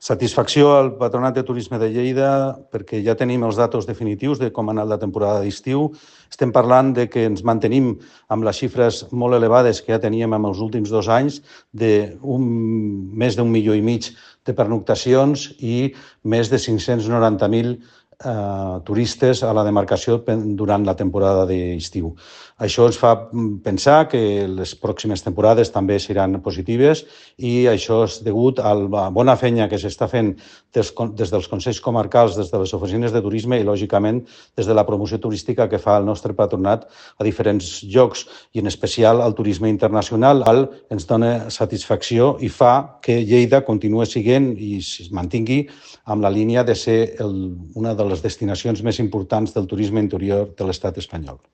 Satisfacció al Patronat de Turisme de Lleida perquè ja tenim els datos definitius de com ha anat la temporada d'estiu. Estem parlant de que ens mantenim amb les xifres molt elevades que ja teníem en els últims 2 anys, de més d'1,5 milió de pernoctacions i més de 590.000 turistes a la demarcació durant la temporada d'estiu. Això ens fa pensar que les pròximes temporades també seran positives i això és degut a la bona feina que s'està fent des dels consells comarcals, des de les oficines de turisme i, lògicament, des de la promoció turística que fa el nostre patronat a diferents llocs i, en especial, al turisme internacional. Ens dona satisfacció i fa que Lleida continuï sent i es mantingui amb la línia de ser una de les destinacions més importants del turisme interior de l'estat espanyol.